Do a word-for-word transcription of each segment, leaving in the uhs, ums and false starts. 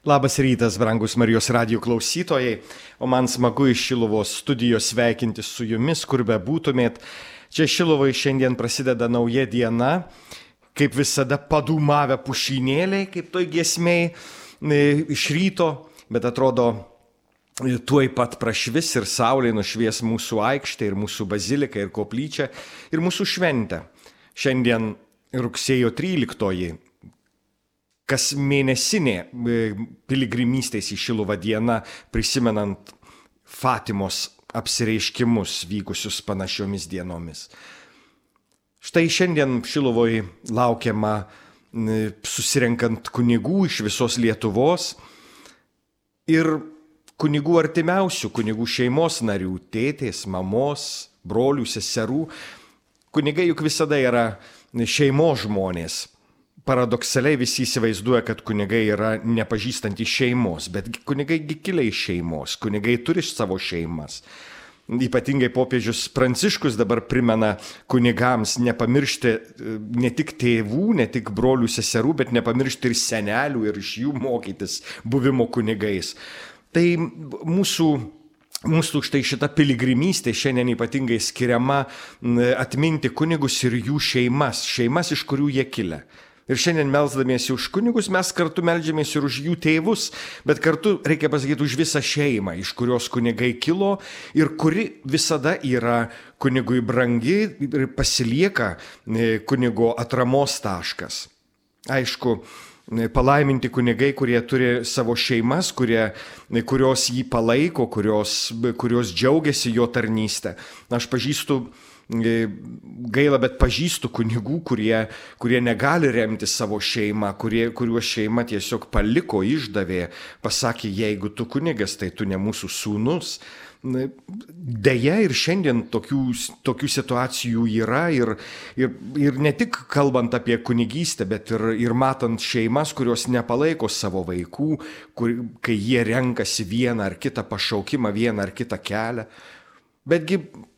Labas rytas, brangus Marijos radijo klausytojai, o man smagu iš Šiluvos studijos sveikinti su jumis, kur be būtumėt. Čia Šiluvai šiandien prasideda nauja diena, kaip visada padūmavę pušynėliai, kaip toj giesmėj iš ryto, bet atrodo tuoj pat prašvis ir saulė nušvies mūsų aikštę ir mūsų baziliką ir koplyčią ir mūsų šventę. Šiandien rugsėjo tryliktoji. Kas mėnesinė piligrimystės į Šiluvą diena, prisimenant Fatimos apsireiškimus vykusius panašiomis dienomis. Štai šiandien Šiluvoj laukiama susirenkant kunigų iš visos Lietuvos ir kunigų artimiausių, kunigų šeimos narių, tėtės, mamos, brolių, seserų. Kunigai juk visada yra šeimos žmonės. Paradoksaliai visi įsivaizduoja, kad kunigai yra nepažįstantys šeimos, bet kunigai kilę iš šeimos, kunigai turi savo šeimas. Ypatingai popiežius Pranciškus dabar primena kunigams nepamiršti ne tik tėvų, ne tik brolių, seserų, bet nepamiršti ir senelių ir iš jų mokytis buvimo kunigais. Tai mūsų, mūsų štai šita piligrimystė šiandien ypatingai skiriama atminti kunigus ir jų šeimas, šeimas, iš kurių jie kilę. Ir šiandien melsdamiesi už kunigus mes kartu meldžiamės ir už jų tėvus, bet kartu reikia pasakyti už visą šeimą, iš kurios kunigai kilo ir kuri visada yra kunigui brangi ir pasilieka kunigo atramos taškas. Aišku, palaiminti kunigai, kurie turi savo šeimas, kurie, kurios jį palaiko, kurios, kurios džiaugiasi jo tarnystę. Aš pažįstu gaila, bet pažįstu kunigų, kurie, kurie negali remti savo šeimą, kurie, kuriuos šeima tiesiog paliko, išdavė, pasakė, jeigu tu kunigas, tai tu ne mūsų sūnus. Deja, ir šiandien tokių, tokių situacijų yra ir, ir, ir ne tik kalbant apie kunigystę, bet ir, ir matant šeimas, kurios nepalaiko savo vaikų, kur, kai jie renkasi vieną ar kitą pašaukimą, vieną ar kitą kelią. Betgi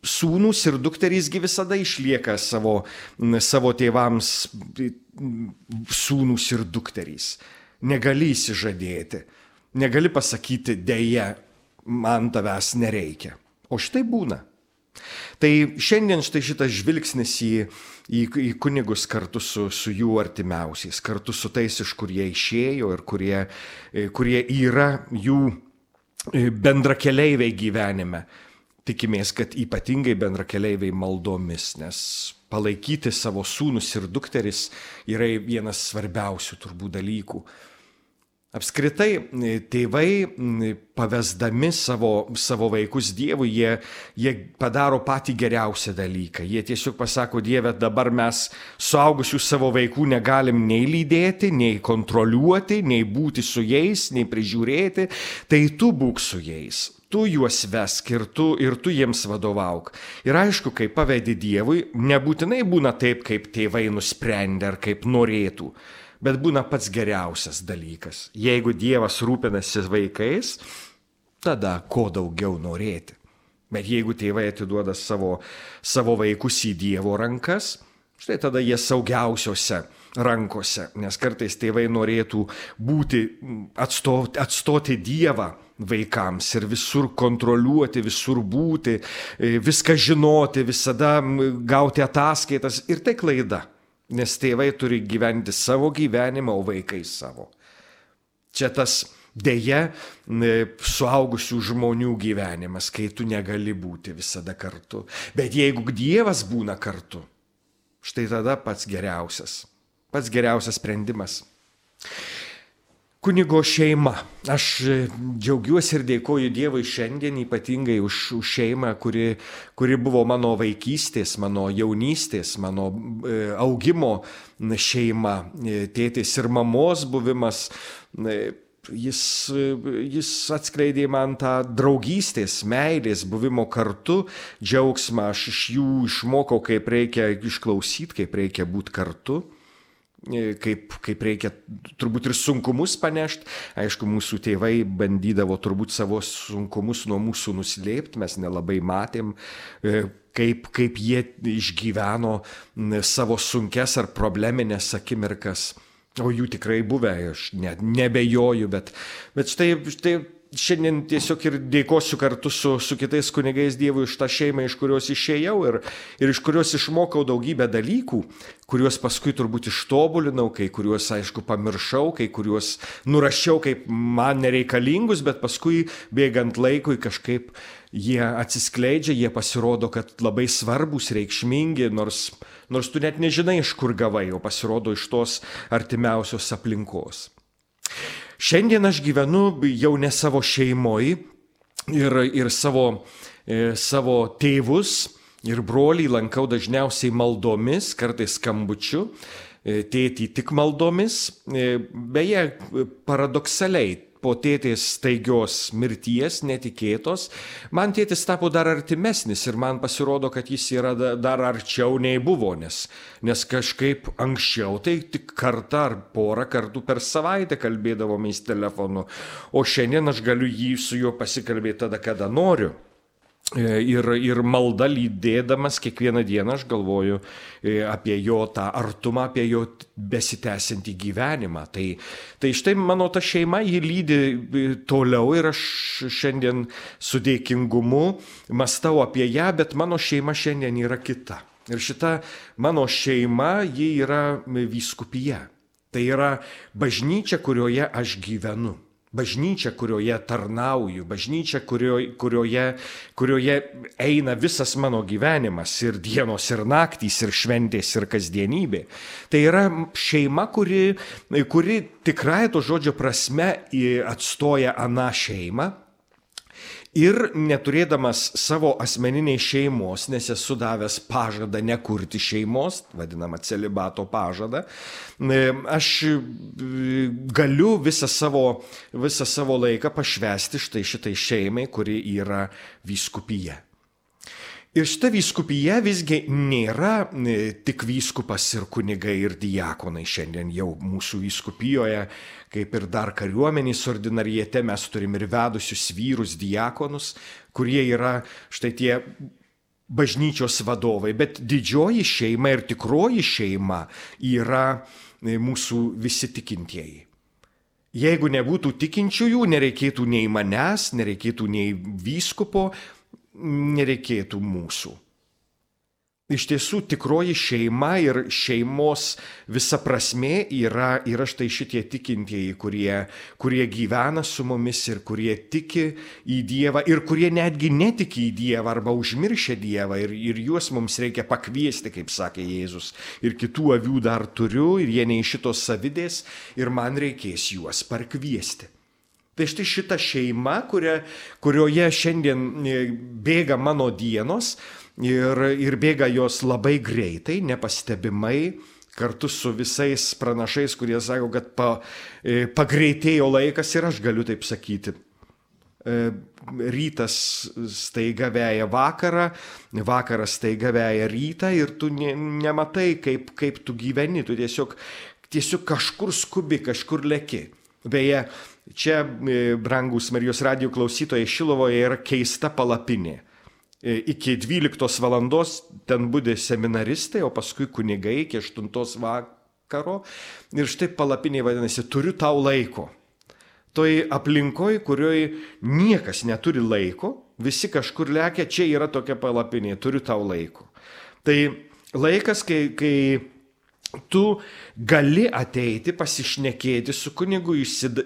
sūnus ir dukterysgi visada išlieka savo, savo tėvams sūnus ir dukterys. Negali įsižadėti, negali pasakyti, deja, man tavęs nereikia. O štai būna. Tai šiandien štai šitas žvilgsnis į, į, į kunigus kartu su, su jų artimiausiais, kartu su tais, iš kur jie išėjo ir kurie, kurie yra jų bendrakeleiviai gyvenime. Tikimės, kad ypatingai bendrakeleiviai maldomis, nes palaikyti savo sūnus ir dukteris yra vienas svarbiausių turbūt dalykų. Apskritai, tėvai pavesdami savo, savo vaikus Dievui, jie, jie padaro patį geriausią dalyką. Jie tiesiog pasako, Dieve, dabar mes suaugusių savo vaikų negalim nei lydėti, nei kontroliuoti, nei būti su jais, nei prižiūrėti, tai tu būk su jais. Tu juos vesk ir tu, ir tu jiems vadovauk. Ir aišku, kai pavedi Dievui, nebūtinai būna taip, kaip tėvai nusprendė ar kaip norėtų, bet būna pats geriausias dalykas. Jeigu Dievas rūpinasi vaikais, tada ko daugiau norėti. Bet jeigu tėvai atiduoda savo, savo vaikus į Dievo rankas, štai tada jie saugiausiose rankose, nes kartais tėvai norėtų būti, atstoti, atstoti Dievą vaikams ir visur kontroliuoti, visur būti, viską žinoti, visada gauti ataskaitas. Ir tai klaida, nes tėvai turi gyventi savo gyvenimą, o vaikai savo. Čia tas deja suaugusių žmonių gyvenimas, kai tu negali būti visada kartu. Bet jeigu Dievas būna kartu, štai tada pats geriausias, pats geriausias sprendimas. Kunigo šeima. Aš džiaugiuosi ir dėkoju Dievui šiandien ypatingai už, už šeimą, kuri, kuri buvo mano vaikystės, mano jaunystės, mano e, augimo šeima, tėtės ir mamos buvimas. E, jis, jis atskleidė man tą draugystės, meilės, buvimo kartu, džiaugsmą. Aš iš jų išmokau, kaip reikia išklausyti, kaip reikia būti kartu. Kaip, kaip reikia turbūt ir sunkumus panešti. Aišku, mūsų tėvai bandydavo turbūt savo sunkumus nuo mūsų nuslėpti, mes nelabai matėm, kaip, kaip jie išgyveno savo sunkes ar probleminės akimirkas. O jų tikrai buvę, aš net nebejoju, bet, bet štai, štai šiandien tiesiog ir dėkosiu kartu su, su kitais kunigais Dievui iš tą šeimą, iš kurios išėjau ir, ir iš kurios išmokau daugybę dalykų, kuriuos paskui turbūt ištobulinau, kai kuriuos, aišku, pamiršau, kai kuriuos nurašiau kaip man nereikalingus, bet paskui bėgant laikui kažkaip jie atsiskleidžia, jie pasirodo, kad labai svarbus, reikšmingi, nors, nors tu net nežinai, iš kur gavai, o pasirodo iš tos artimiausios aplinkos. Šiandien aš gyvenu jau ne savo šeimoje ir, ir savo, e, savo tėvus ir brolį lankau dažniausiai maldomis, kartais skambučiu, e, tėtį tik maldomis. E, beje, paradoksaliai, po tėtės staigios mirties, netikėtos, man tėtis tapo dar artimesnis ir man pasirodo, kad jis yra dar arčiau nei buvo, nes, nes kažkaip anksčiau tai tik kartą ar porą kartų per savaitę kalbėdavomės telefonu, o šiandien aš galiu jį su juo pasikalbėti tada, kada noriu. Ir, ir malda lydėdamas kiekvieną dieną aš galvoju apie jo tą artumą, apie jo besitęsiantį gyvenimą. Tai, tai štai mano ta šeima jį lydi toliau ir aš šiandien su dėkingumu mąstau apie ją, bet mano šeima šiandien yra kita. Ir šita mano šeima, ji yra vyskupija. Tai yra bažnyčia, kurioje aš gyvenu. Bažnyčia, kurioje tarnauju, bažnyčia, kurioje, kurioje, kurioje eina visas mano gyvenimas ir dienos, ir naktys, ir šventės, ir kasdienybė. Tai yra šeima, kuri, kuri tikrai to žodžio prasme atstoja aną šeimą. Ir neturėdamas savo asmeniniai šeimos, nes esu davęs pažadą nekurti šeimos, vadinamą celibato pažadą, aš galiu visą savo, visą savo laiką pašvęsti štai šitai šeimai, kuri yra vyskupija. Ir šita vyskupija visgi nėra tik vyskupas ir kunigai ir diakonai. Šiandien jau mūsų vyskupijoje, kaip ir dar kariuomenės ordinariete, mes turim ir vedusius vyrus diakonus, kurie yra štai tie bažnyčios vadovai. Bet didžioji šeima ir tikroji šeima yra mūsų visi tikintieji. Jeigu nebūtų tikinčiųjų, nereikėtų nei manęs, nereikėtų nei vyskupo, nereikėtų mūsų. Iš tiesų, tikroji šeima ir šeimos visa prasmė yra, yra štai šitie tikintieji, kurie, kurie gyvena su mumis ir kurie tiki į Dievą ir kurie netgi netiki į Dievą arba užmiršia Dievą ir, ir juos mums reikia pakviesti, kaip sakė Jėzus. Ir kitų avių dar turiu ir jie nei šitos savidės ir man reikės juos parkviesti. Tai štai šita šeima, kuria, kurioje šiandien bėga mano dienos ir, ir bėga jos labai greitai, nepastebimai, kartu su visais pranašais, kurie sako, kad pa, pagreitėjo laikas ir aš galiu taip sakyti. Rytas staiga veja vakarą, vakaras staiga veja rytą ir tu ne, nematai, kaip, kaip tu gyveni, tu tiesiog, tiesiog kažkur skubi, kažkur leki. Beje, čia, brangus Marijos radijo klausytojai, Šilovoje yra keista palapinė. Iki dvyliktos valandos ten budi seminaristai, o paskui kunigai iki aštuntos vakaro. Ir štai palapinė vadinasi, turiu tau laiko. Toj aplinkoj, kurioj niekas neturi laiko, visi kažkur lekia, čia yra tokia palapinė, turiu tau laiko. Tai laikas, kai... kai tu gali ateiti, pasišnekėti su kunigu,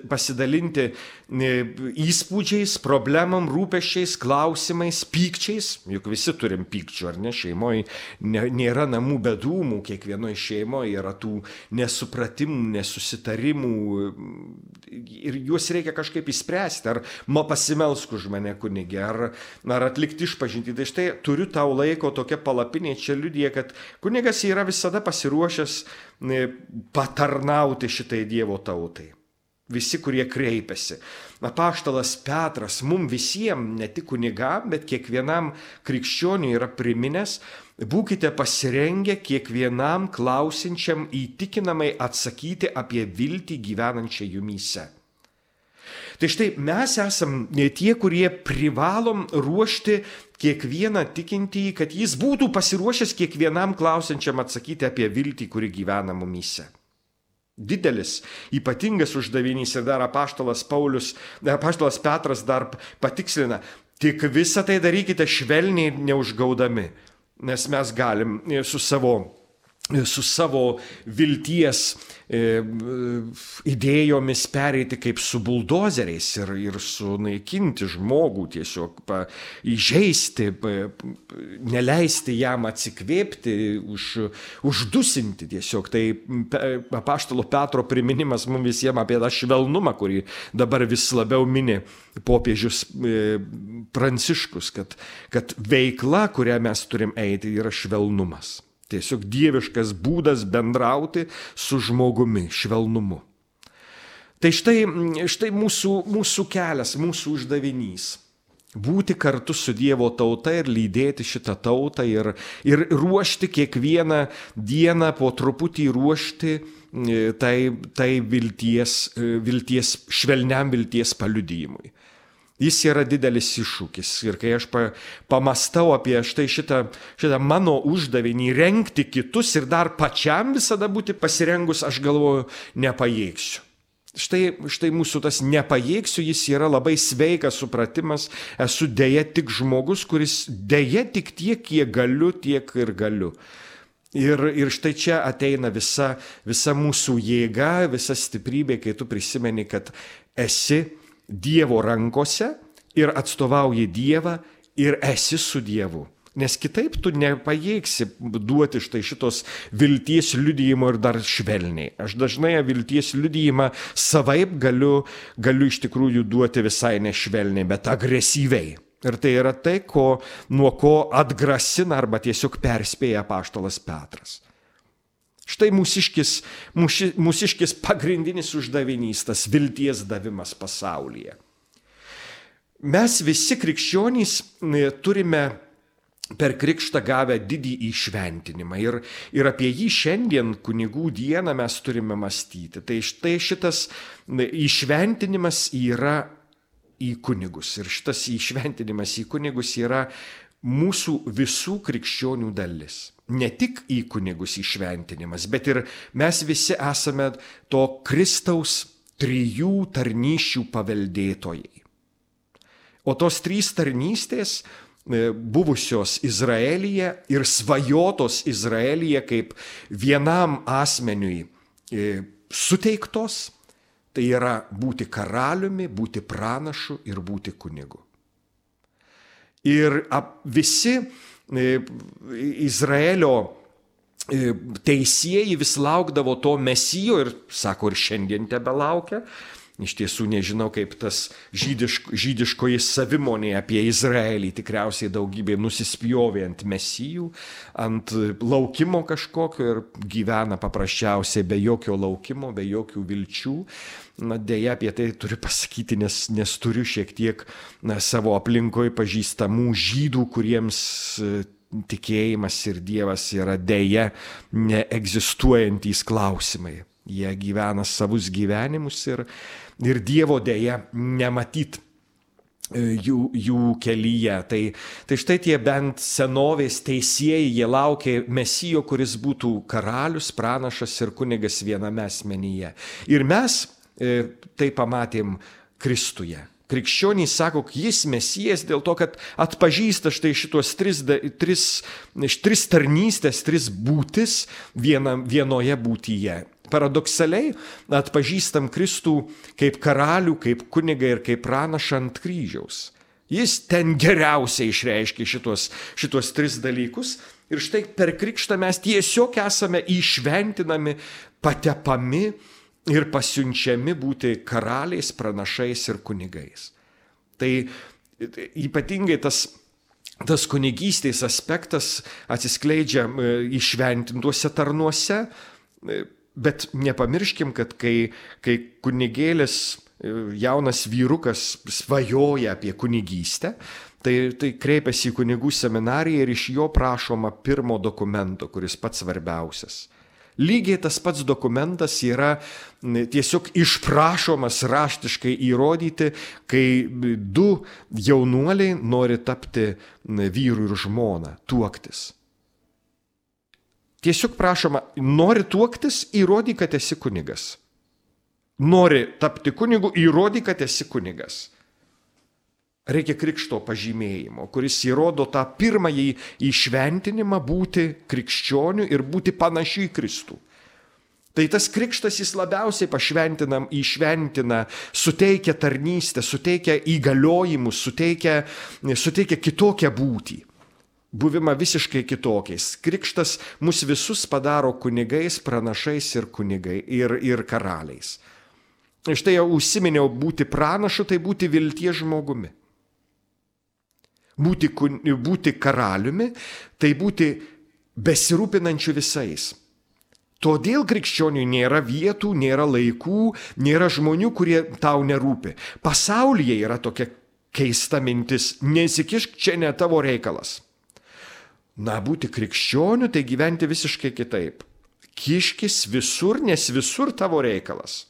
pasidalinti įspūdžiais, problemam, rūpesčiais, klausimais, pykčiais. Juk visi turim pykčių, ar ne? Šeimoje nėra namų be dūmų, kiekvienoje šeimoje yra tų nesupratimų, nesusitarimų ir juos reikia kažkaip įspręsti. Ar ma pasimelsk už mane kunigė, ar, ar atlikti išpažintį. Tai štai turiu tau laiko, tokia palapinė čia liudija, kad kunigas yra visada pasiruošęs patarnauti šitai Dievo tautai. Visi, kurie kreipiasi. Apaštalas Petras mum visiems, ne tik kunigam, bet kiekvienam krikščioniui yra priminęs, būkite pasirengę kiekvienam klausinčiam įtikinamai atsakyti apie viltį gyvenančią jumyse. Tai štai mes esam tie, kurie privalom ruošti kiekvieną tikintįjį, kad jis būtų pasiruošęs kiekvienam klausiančiam atsakyti apie viltį, kuri gyvena mumyse. Didelis, ypatingas uždavinys ir dar apaštalas Paulius, apaštalas Petras dar patikslina, tik visą tai darykite švelniai ir neužgaudami, nes mes galim su savo, su savo vilties e, idėjomis pereiti kaip su buldozeriais ir, ir sunaikinti žmogų, tiesiog pa, įžeisti, pa, neleisti jam atsikvėpti, už, uždusinti tiesiog. Tai apaštalo Petro priminimas mums visiems apie tą švelnumą, kurį dabar vis labiau mini popiežius e, Pranciškus, kad, kad veikla, kurią mes turim eiti, yra švelnumas. Tiesiog dieviškas būdas bendrauti su žmogumi, švelnumu. Tai štai, štai mūsų, mūsų kelias, mūsų uždavinys. Būti kartu su Dievo tauta ir lydėti šitą tautą ir, ir ruošti kiekvieną dieną po truputį ruošti tai, tai vilties, vilties, švelniam vilties paliudijimui. Jis yra didelis iššūkis ir kai aš pa, pamastau apie štai šitą, šitą mano uždavinį rengti kitus ir dar pačiam visada būti pasirengus, aš galvoju, nepajėgsiu. Štai, štai mūsų tas nepajėgsiu, jis yra labai sveikas supratimas, esu dėja tik žmogus, kuris dėja tik tiek, kiek galiu, tiek ir galiu. Ir, ir štai čia ateina visa, visa mūsų jėga, visa stiprybė, kai tu prisimeni, kad esi Dievo rankose ir atstovauji Dievą ir esi su Dievu. Nes kitaip tu nepajėgsi duoti štai šitos vilties liudijimo ir dar švelniai. Aš dažnai vilties liudijimą savaip galiu, galiu iš tikrųjų duoti visai nešvelniai, bet agresyviai. Ir tai yra tai, ko, nuo ko atgrasina arba tiesiog perspėja apaštalas Petras. Štai mūsiškis, mūši, mūsiškis pagrindinis uždavinys, tas vilties davimas pasaulyje. Mes visi krikščionys turime per krikštą gavę didį įšventinimą ir, ir apie jį šiandien kunigų dieną mes turime mąstyti. Tai štai šitas įšventinimas yra į kunigus ir šitas įšventinimas į kunigus yra mūsų visų krikščionių dalis. Ne tik į kunigus įšventinimas, bet ir mes visi esame to Kristaus trijų tarnysčių paveldėtojai. O tos trys tarnystės buvusios Izraelyje ir svajotos Izraelyje kaip vienam asmeniui suteiktos, tai yra būti karaliumi, būti pranašu ir būti kunigu. Ir visi Izraelio teisėjai vis laukdavo to mesijo ir, sako, ir šiandien tebelaukia. Iš tiesų nežinau, kaip tas žydiško, žydiškoji savimonė apie Izraelį tikriausiai daugybė nusispjovė ant mesijų, ant laukimo kažkokio ir gyvena paprasčiausiai be jokio laukimo, be jokių vilčių. Na, dėja apie tai turiu pasakyti, nes, nes turiu šiek tiek na, savo aplinkoje pažįstamų žydų, kuriems tikėjimas ir Dievas yra dėja neegzistuojantys klausimai. Jie gyvena savus gyvenimus ir, ir Dievo dėja nematyt jų, jų kelyje. Tai, tai štai tie bent senovės teisėjai, jie laukė mesijo, kuris būtų karalius, pranašas ir kunigas viename asmenyje. Ir mes tai pamatėm Kristuje. Krikščionys sako, jis mesijas dėl to, kad atpažįsta štai šitos tris, tris, tris tarnystės, tris būtis viena, vienoje būtyje. Paradoksaliai atpažįstam Kristų kaip karalių, kaip kunigą ir kaip pranašą ant kryžiaus. Jis ten geriausiai išreiškia šitos, šitos tris dalykus ir štai per krikštą mes tiesiog esame įšventinami, patepami ir pasiunčiami būti karaliais, pranašais ir kunigais. Tai ypatingai tas, tas kunigystės aspektas atsiskleidžia įšventintuose tarnuose, bet nepamirškim, kad kai, kai kunigėlis, jaunas vyrukas svajoja apie kunigystę, tai, tai kreipiasi į kunigų seminariją ir iš jo prašoma pirmo dokumento, kuris pats svarbiausias. Lygiai tas pats dokumentas yra tiesiog išprašomas raštiškai įrodyti, kai du jaunuoliai nori tapti vyru ir žmona, tuoktis. Tiesiog prašoma, nori tuoktis, įrodyk, kad esi kunigas. Nori tapti kunigu, įrodyk, kad esi kunigas. Reikia krikšto pažymėjimo, kuris įrodo tą pirmąjį įšventinimą būti krikščioniu ir būti panašiu į Kristų. Tai tas krikštas jis labiausiai pašventinam, įšventina, suteikia tarnystę, suteikia įgaliojimus, suteikia, suteikia kitokią būtį. Buvimą visiškai kitokiais. Krikštas mus visus padaro kunigais, pranašais ir kunigai ir, ir karaliais. Štai jau užsiminiau, būti pranašu, tai būti vilties žmogumi. Būti, būti karaliumi, tai būti besirūpinančiu visais. Todėl krikščioniui nėra vietų, nėra laikų, nėra žmonių, kurie tau nerūpi. Pasaulyje yra tokia keista mintis, nesikišk, čia ne tavo reikalas. Na, būti krikščioniu, tai gyventi visiškai kitaip. Kiškis visur, nes visur tavo reikalas.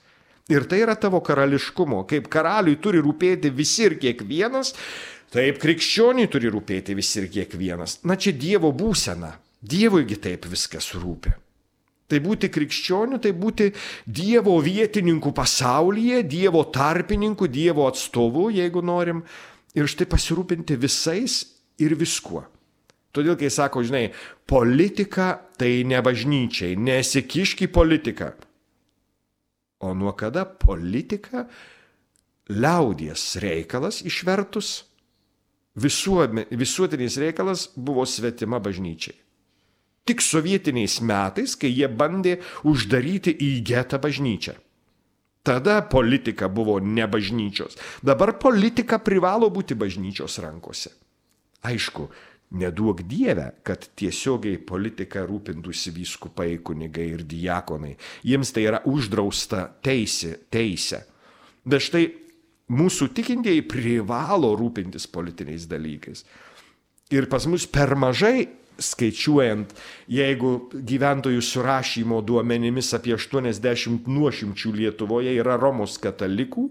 Ir tai yra tavo karališkumo. Kaip karaliui turi rūpėti visi ir kiekvienas, taip krikščioniui turi rūpėti visi ir kiekvienas. Na, čia Dievo būsena. Dievuigi taip viskas rūpi. Tai būti krikščioniu, tai būti Dievo vietininkų pasaulyje, Dievo tarpininkų, Dievo atstovų, jeigu norim, ir štai pasirūpinti visais ir viskuo. Todėl, kai sako, žinai, politika tai ne bažnyčiai, nesikišk į politiką. O nuo kada politika liaudies reikalas išvertus, visuotinis reikalas buvo svetima bažnyčiai. Tik sovietiniais metais, kai jie bandė uždaryti į getą bažnyčią. Tada politika buvo ne bažnyčios. Dabar politika privalo būti bažnyčios rankose. Aišku, neduok Dieve, kad tiesiogiai politika rūpintųsi vyskupai, kunigai ir diakonai. Jiems tai yra uždrausta teisė, teisė. Bet štai mūsų tikintieji privalo rūpintis politiniais dalykais. Ir pas mus per mažai, skaičiuojant, jeigu gyventojų surašymo duomenimis apie aštuoniasdešimt nuošimčių Lietuvoje yra Romos katalikų,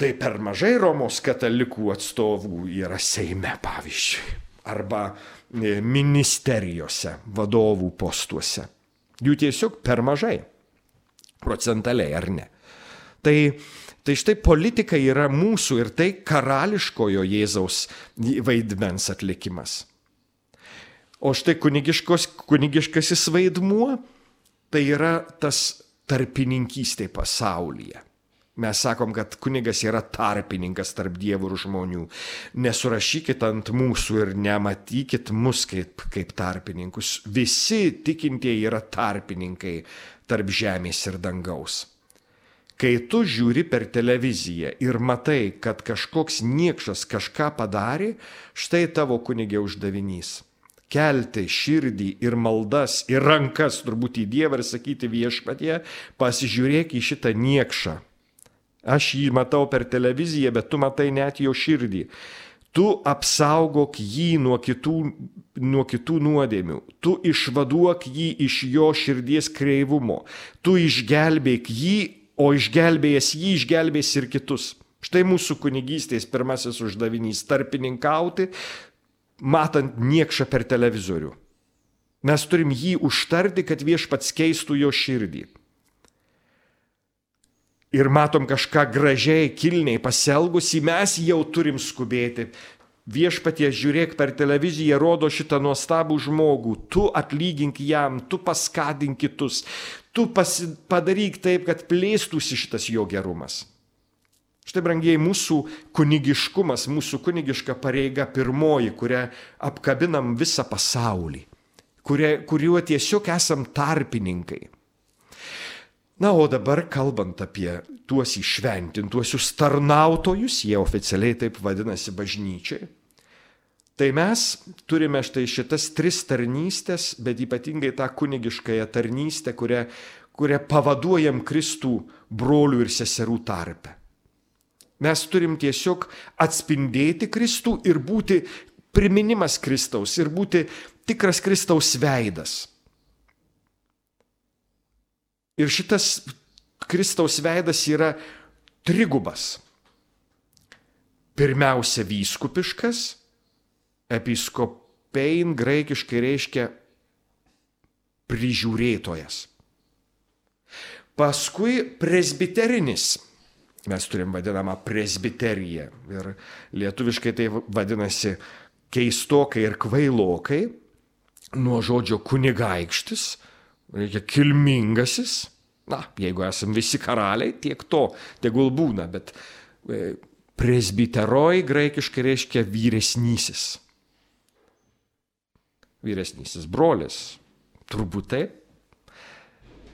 tai per mažai Romos katalikų atstovų yra Seime, pavyzdžiui, arba ministerijose, vadovų postuose. Jų tiesiog per mažai, procentaliai ar ne. Tai, tai štai politika yra mūsų ir tai karališkojo Jėzaus vaidmens atlikimas. O štai kunigiškasis vaidmuo, tai yra tas tarpininkystė pasaulyje. Mes sakom, kad kunigas yra tarpininkas tarp dievų ir žmonių. Nesurašykit ant mūsų ir nematykit mus kaip, kaip tarpininkus. Visi tikintieji yra tarpininkai tarp žemės ir dangaus. Kai tu žiūri per televiziją ir matai, kad kažkoks niekšas kažką padarė, štai tavo kunigė uždavinys. Kelti širdį ir maldas ir rankas turbūt į Dievą ir sakyti viešpatie, pasižiūrėk į šitą niekšą. Aš jį matau per televiziją, bet tu matai net jo širdį. Tu apsaugok jį nuo kitų, nuo kitų nuodėmių. Tu išvaduok jį iš jo širdies kreivumo. Tu išgelbėk jį, o išgelbėjęs jį išgelbės ir kitus. Štai mūsų kunigystės pirmasis uždavinys - tarpininkauti, matant niekšą per televizorių. Mes turim jį užtarti, kad viešpats keistų jo širdį. Ir matom kažką gražiai, kilniai pasielgusį, mes jau turim skubėti. Viešpatie, žiūrėk, per televiziją rodo šitą nuostabų žmogų, tu atlygink jam, tu paskatink kitus, tu pasi, padaryk taip, kad plėstųsi šitas jo gerumas. Štai, brangieji, mūsų kunigiškumas, mūsų kunigiška pareiga pirmoji, kurią apkabinam visą pasaulį, kurie, kuriuo tiesiog esam tarpininkai. Na, o dabar kalbant apie tuos įšventintuosius tarnautojus, jie oficialiai taip vadinasi bažnyčiai, tai mes turime štai šitas tris tarnystės, bet ypatingai tą kunigiškąją tarnystę, kurią, kurią pavaduojam Kristų brolių ir seserų tarpe. Mes turim tiesiog atspindėti Kristų ir būti priminimas Kristaus, ir būti tikras Kristaus veidas. Ir šitas Kristaus veidas yra trigubas. Pirmiausia, vyskupiškas, episkopein graikiškai reiškia prižiūrėtojas. Paskui presbiterinis. Mes turim vadinamą presbiteriją. Ir lietuviškai tai vadinasi keistokai ir kvailokai. Nuo žodžio kunigaikštis, reikia kilmingasis. Na, jeigu esam visi karaliai, tiek to, tegul būna, bet presbiteroj graikiškai reiškia vyresnysis. Vyresnysis brolis, turbūt taip.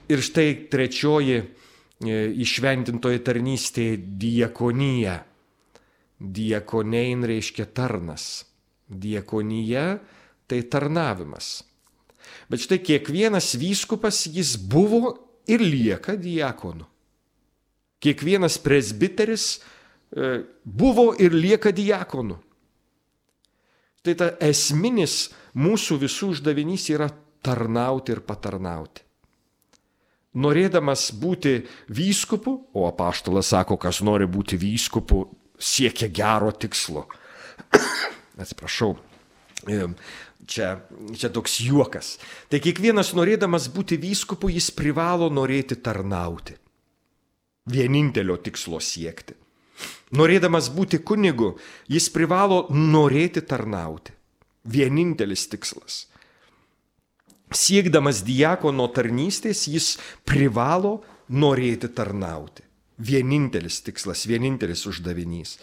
Ir štai trečioji įšventintoji tarnystė diakonija. Diakonein reiškia tarnas. Diakonija tai tarnavimas. Bet štai kiekvienas vyskupas jis buvo ir lieka diakonu. Kiekvienas presbiteris buvo ir lieka diakonu. Tai ta esminis mūsų visų uždavinys yra tarnauti ir patarnauti. Norėdamas būti vyskupu, o apaštalas sako, kas nori būti vyskupu, siekia gero tikslo. Atsiprašau, čia, čia toks juokas. Tai kiekvienas norėdamas būti vyskupu, jis privalo norėti tarnauti. Vienintelio tikslo siekti. Norėdamas būti kunigu, jis privalo norėti tarnauti. Vienintelis tikslas. Siekdamas diakono tarnystės, jis privalo norėti tarnauti. Vienintelis tikslas, vienintelis uždavinys.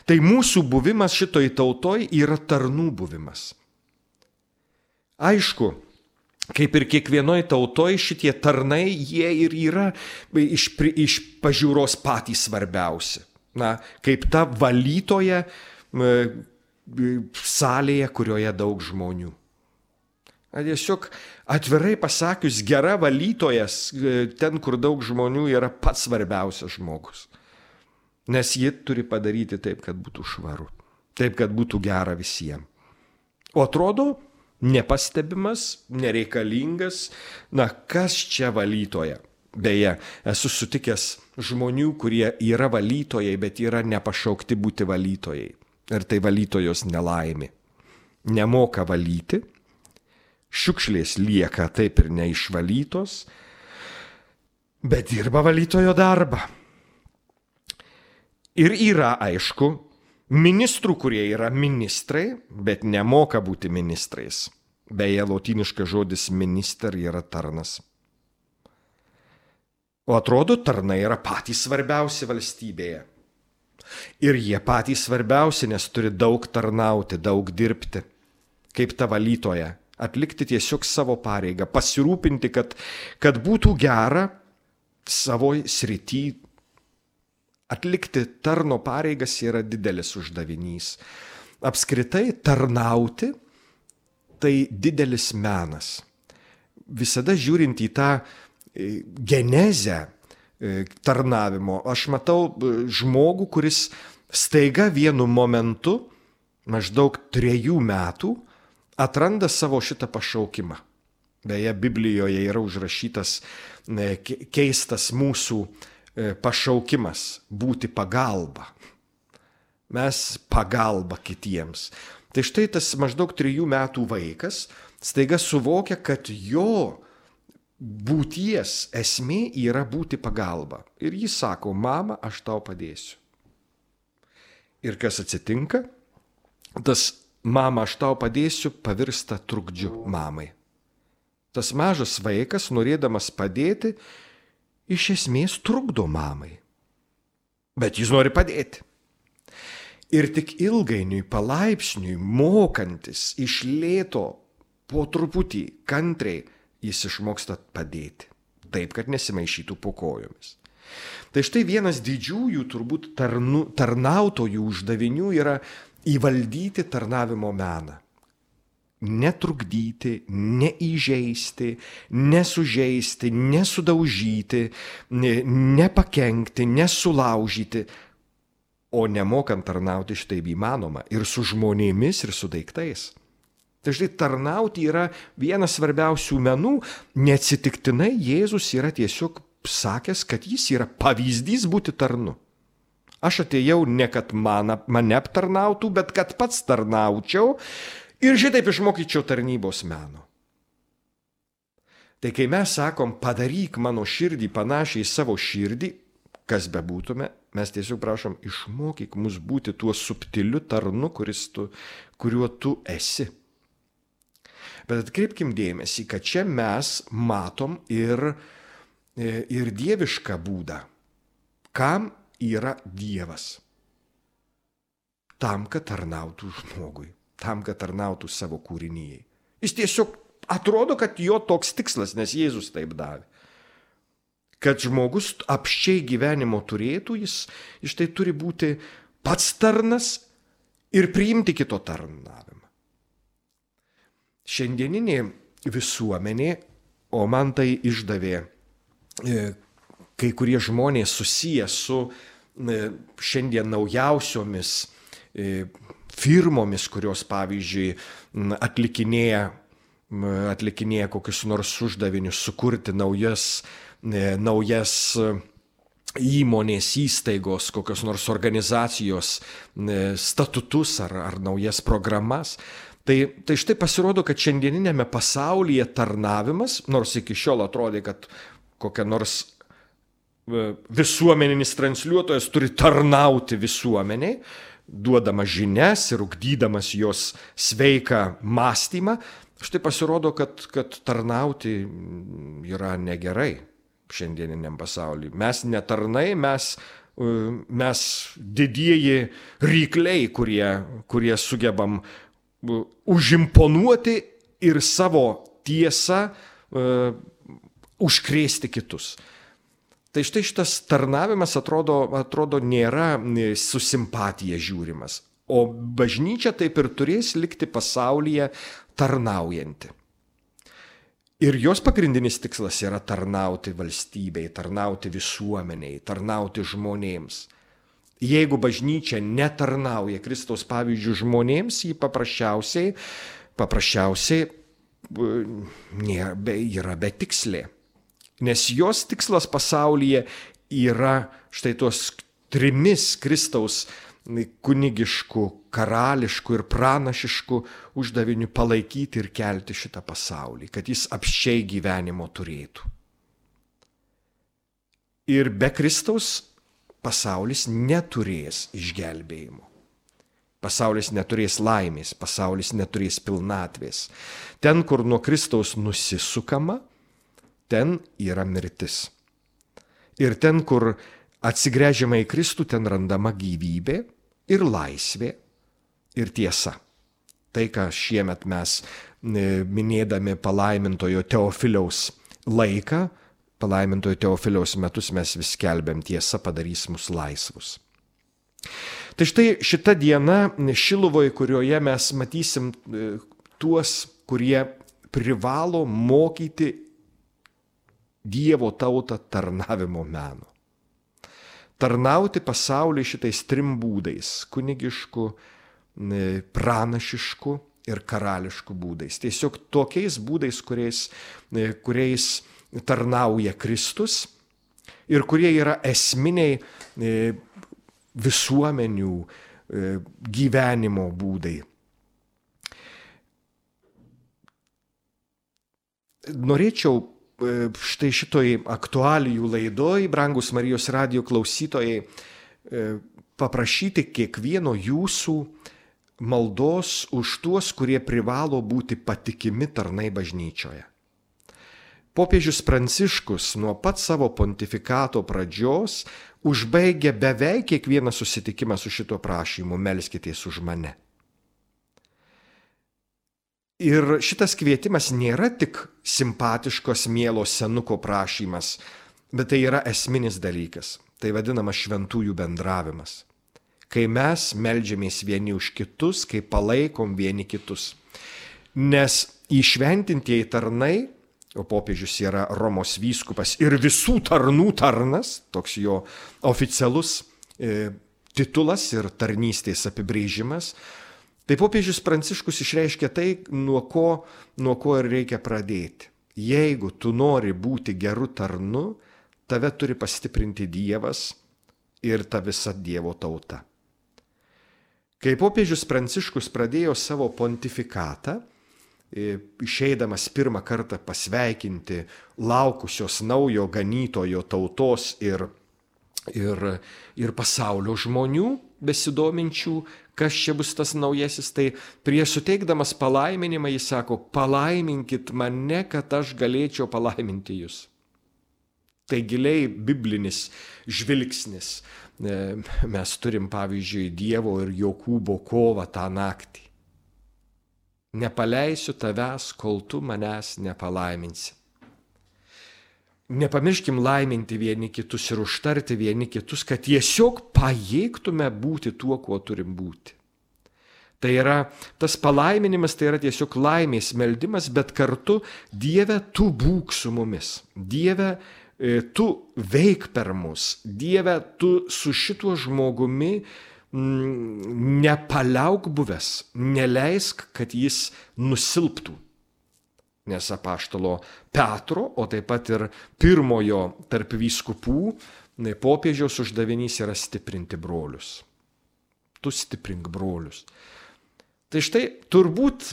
Tai mūsų buvimas šitoj tautoj yra tarnų buvimas. Aišku, kaip ir kiekvienoj tautoj šitie tarnai, jie ir yra iš, iš pažiūros patys svarbiausi. Na, kaip ta valytoja salėje, kurioje daug žmonių. Tiesiog atvirai pasakius, gera valytojas, ten, kur daug žmonių, yra pats svarbiausias žmogus. Nes ji turi padaryti taip, kad būtų švaru. Taip, kad būtų gera visiems. O atrodo, nepastebimas, nereikalingas. Na, kas čia valytoja? Beje, esu sutikęs žmonių, kurie yra valytojai, bet yra nepašaukti būti valytojai. Ir tai valytojos nelaimė. Nemoka valyti. Šiukšlės lieka taip ir neišvalytos, bet dirba valytojo darbą. Ir yra, aišku, ministrų, kurie yra ministrai, bet nemoka būti ministrais. Beje, lotyniškas žodis minister yra tarnas. O atrodo, tarnai yra patys svarbiausi valstybėje. Ir jie patys svarbiausi, nes turi daug tarnauti, daug dirbti, kaip ta valytoja. Atlikti tiesiog savo pareigą, pasirūpinti, kad, kad būtų gera savo srity. Atlikti tarno pareigas yra didelis uždavinys. Apskritai tarnauti tai didelis menas. Visada žiūrint į tą genezę tarnavimo, aš matau žmogų, kuris staiga vienu momentu, maždaug trejų metų, atranda savo šitą pašaukimą. Beje, Biblijoje yra užrašytas keistas mūsų pašaukimas – būti pagalba. Mes pagalba kitiems. Tai štai tas maždaug trijų metų vaikas staiga suvokia, kad jo būties esmė yra būti pagalba. Ir jis sako, mama, aš tau padėsiu. Ir kas atsitinka? Tas mama, aš tau padėsiu, pavirsta trukdžiu mamai. Tas mažas vaikas, norėdamas padėti, iš esmės trukdo mamai. Bet jis nori padėti. Ir tik ilgainiui, palaipsniui, mokantis iš lėto, po truputį, kantriai, jis išmoksta padėti. Taip, kad nesimaišytų po kojomis. Tai štai vienas didžiųjų, turbūt tarnu, tarnautojų uždavinių yra įvaldyti tarnavimo meną. Netrukdyti, neįžeisti, nesužeisti, nesudaužyti, nepakenkti, nesulaužyti. O nemokant tarnauti štai įmanoma ir su žmonėmis, ir su daiktais. Tai štai tarnauti yra vienas svarbiausių menų. Neatsitiktinai Jėzus yra tiesiog sakęs, kad jis yra pavyzdys būti tarnu. Aš atėjau ne kad man, mane aptarnautų, bet kad pats tarnaučiau ir šitaip išmokyčiau tarnybos meno. Tai kai mes sakom, padaryk mano širdį panašiai į savo širdį, kas bebūtume, mes tiesiog prašom, išmokyk mus būti tuo subtiliu tarnu, kuris tu, kuriuo tu esi. Bet atkreipkim dėmesį, kad čia mes matom ir, ir dievišką būdą. Kam yra Dievas? Tam, kad tarnautų žmogui, tam, kad tarnautų savo kūrinijai. Jis tiesiog atrodo, kad jo toks tikslas, nes Jėzus taip davė. Kad žmogus apsčiai gyvenimo turėtų, jis, jis tai turi būti pats tarnas ir priimti kito tarnavimą. Šiandieninė visuomenė, o man tai išdavė e, kai kurie žmonės susiję su e, šiandien naujausiomis e, firmomis, kurios, pavyzdžiui, atlikinėja, atlikinėja kokius nors uždavinius, sukurti naujas naujas įmonės, įstaigos, kokios nors organizacijos statutus ar, ar naujas programas. Tai, tai štai pasirodo, kad šiandieninėme pasaulyje tarnavimas, nors iki šiol atrodė, kad kokia nors visuomeninis transliuotojas turi tarnauti visuomeniai, duodamas žinias ir ugdydamas jos sveiką mąstymą, štai pasirodo, kad, kad tarnauti yra negerai. Šiandieniniam pasaulyje. Mes netarnai, mes, mes didieji rykliai, kurie, kurie sugebam užimponuoti ir savo tiesą uh, užkrėsti kitus. Tai štai šitas tarnavimas atrodo, atrodo nėra su simpatija žiūrimas, o bažnyčia taip ir turės likti pasaulyje tarnaujanti. Ir jos pagrindinis tikslas yra tarnauti valstybei, tarnauti visuomeniai, tarnauti žmonėms. Jeigu bažnyčia netarnauja Kristaus pavyzdžių žmonėms, ji paprasčiausiai, paprasčiausiai yra betikslė. Nes jos tikslas pasaulyje yra štai tuos trimis Kristaus kunigiškų, karališkų ir pranašiškų uždavinių palaikyti ir kelti šitą pasaulį, kad jis apsčiai gyvenimo turėtų. Ir be Kristaus pasaulis neturės išgelbėjimo. Pasaulis neturės laimės, pasaulis neturės pilnatvės. Ten, kur nuo Kristaus nusisukama, ten yra mirtis. Ir ten, kur atsigręžiama į Kristų, ten randama gyvybė ir laisvė ir tiesa. Tai, ką šiemet mes minėdami palaimintojo Teofiliaus laiką, palaimintojo Teofiliaus metus mes vis skelbiam, tiesa padarys mus laisvus. Tai štai šita diena Šiluvoje, kurioje mes matysim tuos, kurie privalo mokyti Dievo tautą tarnavimo meno. Tarnauti pasauliui šitais trim būdais – kunigišku, pranašišku ir karališku būdais. Tiesiog tokiais būdais, kuriais, kuriais tarnauja Kristus ir kurie yra esminiai visuomenių gyvenimo būdai. Norėčiau štai šitoj aktualijų laidoj, brangus Marijos radijo klausytojai, paprašyti kiekvieno jūsų maldos už tuos, kurie privalo būti patikimi tarnai bažnyčioje. Popiežius Pranciškus nuo pat savo pontifikato pradžios užbaigė beveik kiekvieną susitikimą su šituo prašymu: melskitės už mane. Ir šitas kvietimas nėra tik simpatiškos mielo senuko prašymas, bet tai yra esminis dalykas. Tai vadinamas šventųjų bendravimas. Kai mes meldžiamės vieni už kitus, kai palaikom vieni kitus. Nes įšventintieji tarnai, o popiežius yra Romos vyskupas ir visų tarnų tarnas, toks jo oficialus e, titulas ir tarnystės apibrėžimas, tai popiežius Pranciškus išreiškia tai, nuo ko, nuo ko ir reikia pradėti. Jeigu tu nori būti geru tarnu, tave turi pastiprinti Dievas ir ta visa Dievo tauta. Kai popiežius Pranciškus pradėjo savo pontifikatą, išeidamas pirmą kartą pasveikinti laukusios naujo ganytojo tautos ir, ir, ir pasaulio žmonių besidominčių, kas čia bus tas naujasis, tai prieš suteikdamas palaiminimą jis sako, palaiminkit mane, kad aš galėčiau palaiminti jūs. Tai giliai biblinis žvilgsnis. Mes turim, pavyzdžiui, Dievo ir Jokūbo kovą tą naktį. Nepaleisiu tavęs, kol tu manęs nepalaiminsi. Nepamirškim laiminti vieni kitus ir užtarti vieni kitus, kad tiesiog pajėgtume būti tuo, kuo turim būti. Tai yra, tas palaiminimas tai yra tiesiog laimės meldimas, bet kartu Dieve, tu būk su mumis. Dieve, tu veik per mus. Dieve, tu su šituo žmogumi nepaliauk buvęs, neleisk, kad jis nusilptų. Nes apaštalo Petro, o taip pat ir pirmojo tarp vyskupų, popiežiaus uždavinys yra stiprinti brolius. Tu stiprink brolius. Tai štai turbūt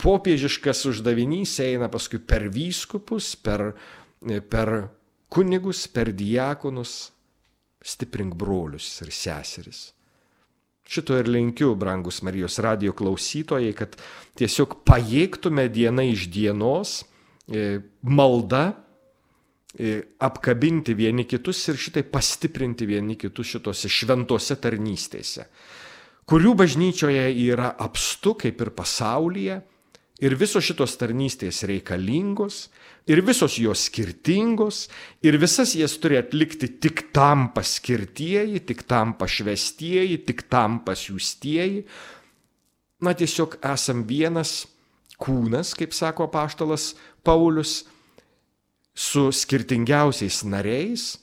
popiežiškas uždavinys eina paskui per vyskupus, per, per kunigus, per diakonus, stiprink brolius ir seseris. Šito ir linkiu, brangus Marijos radijo klausytojai, kad tiesiog pajėgtume diena iš dienos malda apkabinti vieni kitus ir šitai pastiprinti vieni kitus šitose šventose tarnystėse, kurių bažnyčioje yra apstu kaip ir pasaulyje, ir visos šitos tarnystės reikalingos, ir visos jos skirtingos, ir visas jas turi atlikti tik tam paskirtieji, tik tam pašvestieji, tik tam pasiųstieji. Na, tiesiog esam vienas kūnas, kaip sako apaštalas Paulius, su skirtingiausiais nariais.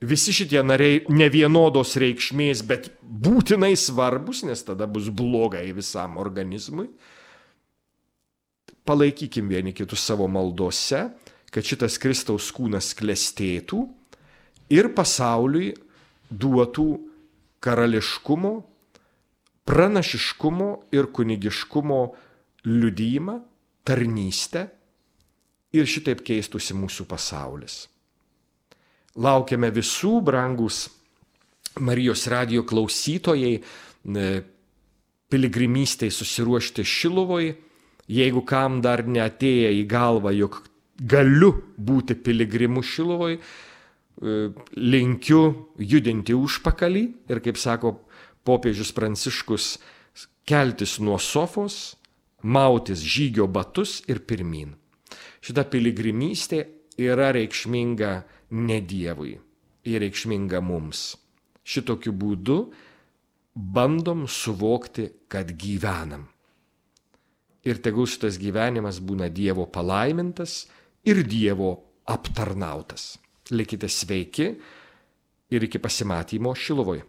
Visi šitie nariai ne vienodos reikšmės, bet būtinai svarbus, nes tada bus blogai visam organizmui. Palaikykim vieni kitus savo maldose, kad šitas Kristaus kūnas klestėtų ir pasauliui duotų karališkumo, pranašiškumo ir kunigiškumo liudijimą, tarnystę ir šitaip keistųsi mūsų pasaulis. Laukiame visų, brangus Marijos radijo klausytojai, piligrimystei susiruošti Šiluvoj. Jeigu kam dar neatėję į galvą, jog galiu būti piligrimu Šiluvoj, linkiu judinti užpakalį ir, kaip sako popiežius Pranciškus, keltis nuo sofos, mautis žygio batus ir pirmyn. Šita piligrimystė yra reikšminga ne Dievui, ir reikšminga mums. Šitokiu būdu bandom suvokti, kad gyvenam. Ir tegul šitas gyvenimas būna Dievo palaimintas ir Dievo aptarnautas. Likite sveiki ir iki pasimatymo Šiluvoje.